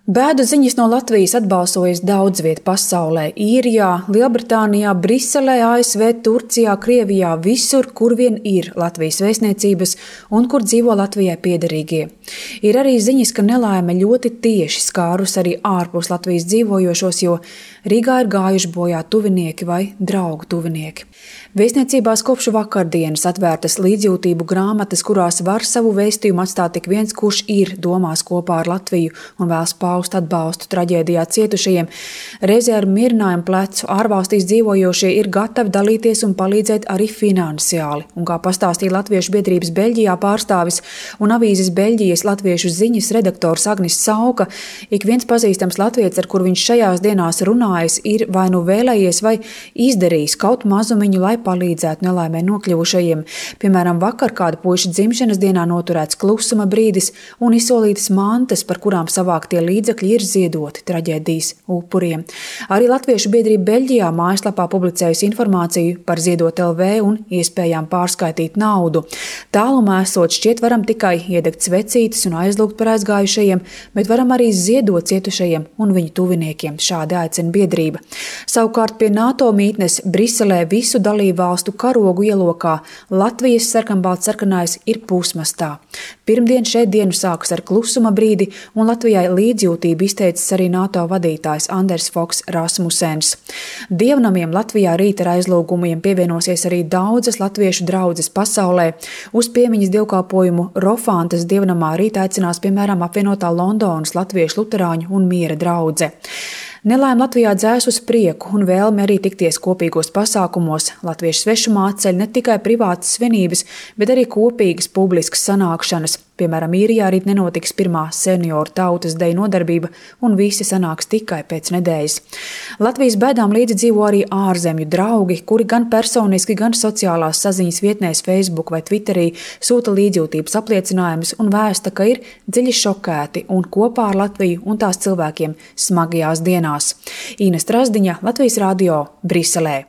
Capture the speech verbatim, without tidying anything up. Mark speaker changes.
Speaker 1: Bēdu ziņas no Latvijas atbalsojas daudz viet pasaulē – Īrijā, Lielbritānijā, Briselē, A S V, Turcijā, Krievijā, visur, kur vien ir Latvijas vēstniecības un kur dzīvo Latvijai piederīgie. Ir arī ziņas, ka nelaime ļoti tieši skārus arī ārpus Latvijas dzīvojošos, jo Rīgā ir gājuši bojā tuvinieki vai draugu tuvinieki. Vēstniecībās kopš vakardienas atvērtas līdzjūtību grāmatas, kurās var savu vēstījumu atstāt tik viens, kurš ir domās kopā ar Latviju un vēlas paust atbalstu traģēdijā cietušajiem. Reizē ar mierinājumu plecu ārvalstīs dzīvojošie ir gatavi dalīties un palīdzēt arī finansiāli. Un kā pastāstīja Latviešu biedrības Beļģijā pārstāvis un avīzes Beļģijas latviešu ziņas redaktors Agnis Sauka, ik viens pazīstams latvietis, ar kur viņš šajās dienās runājis, ir vai nu vēlējies vai izdarījis kaut mazumiņu, lai palīdzētu nelaimē nokļuvušajiem. Piemēram, vakar kāda puiša dzimšanas dienā noturēts klusuma brīdis un izsolītas mantas, par kurām savāktie līdzekļi ir ziedoti traģēdijas upuriem. Arī Latviešu biedrība Beļģijā mājaslapā publicējusi informāciju par Ziedot L V un iespējām pārskaitīt naudu. Tālumā esot šķiet varam tikai iedegt svecītes un aizlūgt par aizgājušajiem, bet varam arī ziedot cietušajiem un viņu tuviniekiem. Šādi aicina biedrība. Savukārt pie NATO mītnes Briselē visu dalību valstu karogu ielokā Latvijas sarkanbalts-sarkanais ir pusmastā. Pirmdien šeit dienu sākas ar klusuma brīdi, un Latvijai līdzjūtību izteicis arī NATO vadītājs Anders Foks Rasmusens. Dievnamiem Latvijā rīt ar aizlūgumiem pievienosies arī daudzas latviešu draudzes pasaulē. Uz piemiņas dievkalpojumu Rofantas dievnamā rīt aicinās piemēram apvienotā Londonas latviešu luterāņu un miera draudze. Nelaime Latvijā dzēs uz prieku un vēlme arī tikties kopīgos pasākumos. Latviešu svešumā atceļ ne tikai privātas svinības, bet arī kopīgas publiskas sanākšanas. Piemēram, Īrijā rīt nenotiks pirmā senioru tautas deju nodarbība un visi sanāks tikai pēc nedēļas. Latvijas bēdām līdzi dzīvo arī ārzemju draugi, kuri gan personiski, gan sociālās saziņas vietnēs Facebook vai Twitterī sūta līdzjūtības apliecinājumus un vēsta, ka ir dziļi šokēti un kopā ar Latviju un tās cilvēkiem smagajās dienās. Ines Trasdiņa, Latvijas radio, Briselē.